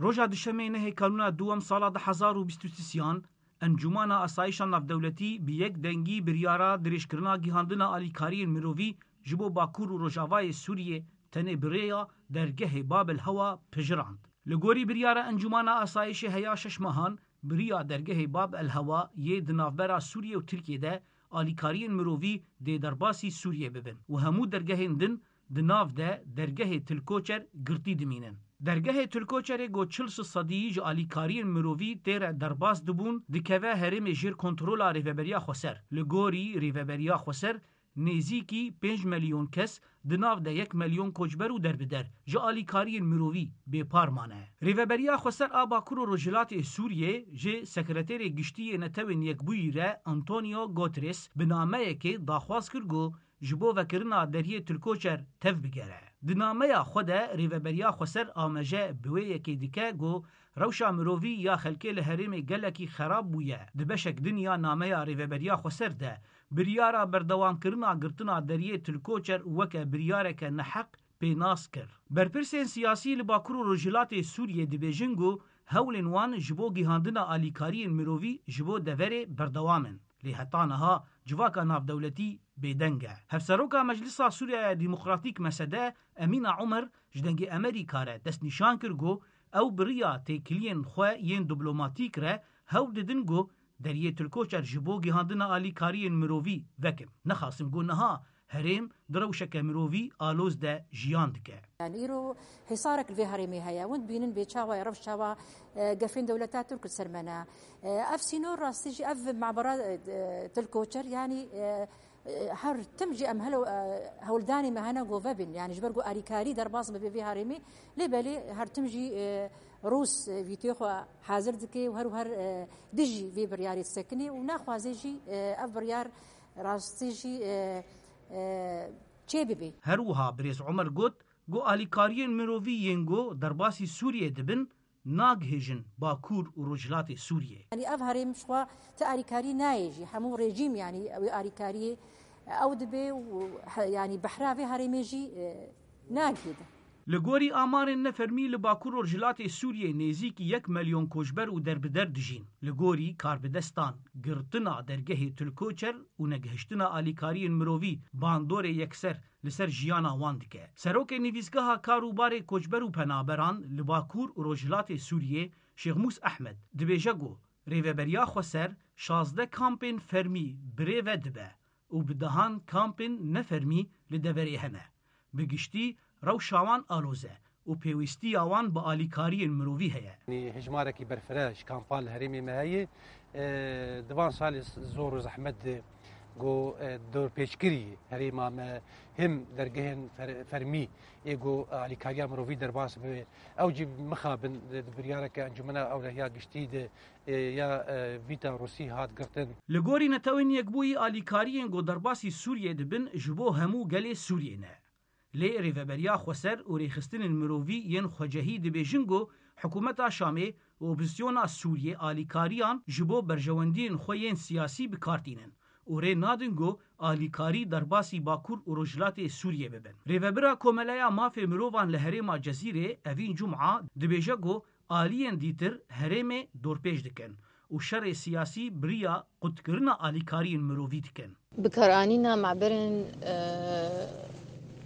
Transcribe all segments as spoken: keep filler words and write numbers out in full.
Roja Duşemê nehê Kanûna duwem sala du hezar û bîst û sisiyan, Encûmana Asayişa Navdewletî bi yek dengî biryara dirêjkirina gihandina alîkariyên mirovî ji bo Bakur û Rojavayê Sûriyê tenê bi rêya dergehê Bab el Hewa pejirand. Li gorî biryara Encûmana Asayişê heya şeş mehan, bi riya dergehê Bab el Hewa yê di navbera Sûriyê û Tirkiyê de alîkariyên mirovî dê derbasî Sûriyê bibin û hemû dergehên din di nav de dergehê Tilkoçer girtî dimînin. Dergehê Tilkoçerê ku çil sedî ji alîkariyên mirovî tê re derbas dibûn, dikeve herêmê jêr kontrola Rêveberiya Xweser. Li gorî Rêveberiya Xweser, nêzîkî pênc milyon kes, di nav de yek milyon koçber û derbider, ji alîkariyên mirovî bêpar mane. Rêveberiya Xweser a Bakur û Rojhilatê Sûriyê ji Sekreterê Giştî yê Netewên Yekbûyî re Antonio Guterres bi nameyekê daxwaz kir ku ji bo vekirina deriyê Tilkoçer tev bigere. Di nameya xwe de Rêveberiya Xweser amaje bi wê yekê dike ku rewşa mirovî ya xelkê li herêmê gelekî xerab bûye. Di beşek din ya nameya Rêveberiya Xweser de biryara berdewamkirina girtina deriyê Tilkoçer weke biryareke neheq pênas kir. Berpirsên siyasî li Bakur û Rojhilatê Sûriyê dibêjin ku hewlên wan ji bo gihandina alîkariyên mirovî ji bo deverê berdewam in. Lê heta niha civaka navdewletî bêdeng e. Hevseroka Meclisa Sûriyeya Demokratîk, M S D, Emîna Omer, ji Dengê Amerîka re destnîşan kir ku ew bi riya têkiliyên xwe yên diplomatîk re hewl didin ku deriyê Tilkoçer ji bo gihandina alîkariyên mirovî vekin. Nexasim ku niha herêm di rewşeke mirovî aloz de jiyan dike. Yani îro hêsarek li vê herêmê heye. Hûn dibînin bê çawa ye, rewş çawa, e, gefên dewleta Tirk li ser me ne. E, ev sînor rastî jî ev mabera, e, Tilkoçer, yani, e, e, her tim jî em helo, e, hewldanê me hene ku vebin. Yani ji ber ku alîkarî derbas bibe vê herêmê. Lê belê her tim jî, e, Rûs, e, vîtê xwe hazir dike û her û her, e, dijî vê biryarê disekinê û naxwaze jî, e, ev biryar rastî jî, e, e, çê bibe. Her wiha birêz Omer got ku alîkariyên mirovî yên ku derbasî Sûriyê dibin, nagihêjin Bakur û Rojhilatê Sûriyê. Yanî ev herêm ji xwe ti alîkarî nayê jî. Hemû rejîm, yanî wê alîkariyê ew dibe û he-, yanî behra vê herêmê jî, e, nagihîde. Li gorî amarên nefermî li Bakur û Rojhilatê Sûriyê nêzîkî yek milyon koçber û derbider dijîn. Li gorî karbidestan, girtina dergehê Tilkoçer û negihiştina alîkariyên mirovî bandorê yekser li ser jiyana wan dike. Serokê Nivîsgeha Kar û Barê Koçber û Penaberan li Bakur û Rojhilatê Sûriyê, Şêxmûs Ehmed, dibêje ku Rêveberiya Xweser şazdeh kampên fermî birêve dibe û bi dehan kampên nefermî li deverê hene. Bi giştî rewşa wan aloz e û pêwîstiya wan bi alîkariyên mirovî heye. Hejmarekî berfireh ji kampan li herêmê me heye. E, di van salê zor û zehmet de ku, e, dorpêçkirî herêma me him dergehên fer-, fermî ê ku alîkariya mirovî derbas bibe. Ew jî mixabin di, di biryareke Encûmena Ewlehiya Giştî de, e, ya, e, Vîta Rûsî hat girtin. Li gorî Netewên Yekbûyî alîkariyên ku derbasî Sûriyê dibin ji bo hemû gelê Sûriyê ne. Lê Rêveberiya Xweser û Rêxistinên Mirovî yên Xwecehî dibêjin ku hikûmeta Şamê û opozîsyona Sûriyê alîkariyan ji bo berjewendiyên xwe yên siyasî bi kar tînin û rê nadin ku alîkarî derbasî Bakur û Rojhilatê Sûriyê bibin. Rêvebira Komeleya Mafê Mirovan li herêma Cezîrê Evîn Cuma dibêje ku aliyên dîtir herêmê dorpêç dikin û şerê siyasî bi riya qutkirina alîkariyên mirovî dikin. Bikaranîna maberên, e,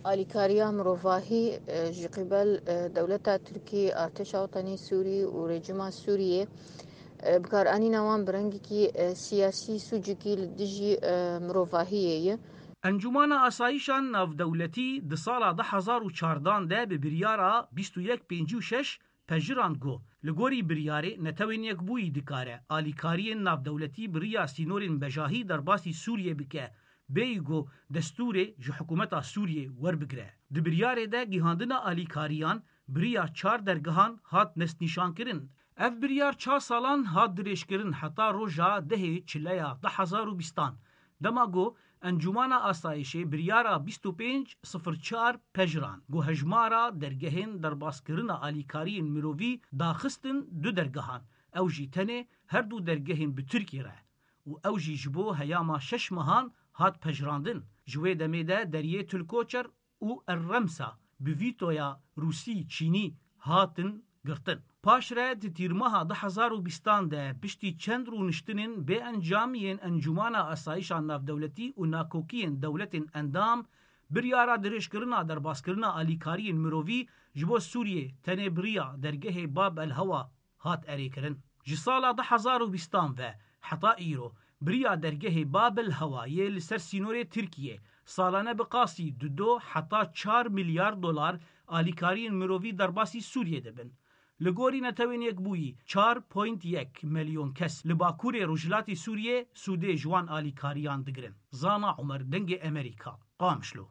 alîkariya mirovahî, e, ji qîbel, e, dewleta Tirkî, Artêşa Wetanî Sûrî û rejîma Sûriyê, e, bikaranîna wan bi rengekî, e, siyasî sûcekî li dijî, e, mirovahiyê ye. Encûmana Asayîşa Navdewletî di sala du hezar û çardan de bi biryara bîst û yek pêncî û şeş pejirand ku li gorî biryarê Netewên Yekbûyî dikare alîkariyên navdewletî bi riya sînorên bejahî derbasî Sûriyê bike, bêyî ku destûrê ji hikûmeta Sûriyê werbigire. Di biryarê de gihandina alîkariyan bi riya çar dergehan hat destnîşankirin. Ev biryar çar salan hat dirêjkirin heta roja dehê Çileya du hezar û bîstan. Dema ku Encûmana Asayişê biryara bîst û pênc sifir çar pejirand ku hejmara dergehên derbaskirina alîkariyên mirovî daxistin du dergehan, ew jî tenê her du dergehên bi Tirkî re û ew jî ji bo heyama şeş mehan hat pejirandin. Ji wê demê de deriyê Tilkoçer û Erremsa bi vîtoya Rûsî, Çînî hatin girtin. Paşre di tîrmeha du hezar û bîstan de piştî çend rûniştinên bê encam yên Encûmana Asayîşa Navdewletî û nakokiyên dewletên endam, biryara dirêjkirina derbaskirina alîkariyên mirovî ji bo Sûriyê tenê bi riya dergehê Bab el Hewa hat erêkirin. Ji sala du hezar û bîstan ve heta îro bi riya dergehê Bab el Hewa yê li ser sînorê Tirkiyê salane bi qasî dido heta çar milyar dolar alîkariyên mirovî derbasî Sûriyê dibin. Li gorî Netewên Yekbûyî çar point yek milyon kes li bakurê rojhilatê Sûriyê sûdê ji wan alîkariyan digirin. Zana Umer, Dengê Emerîka, Qamişlo.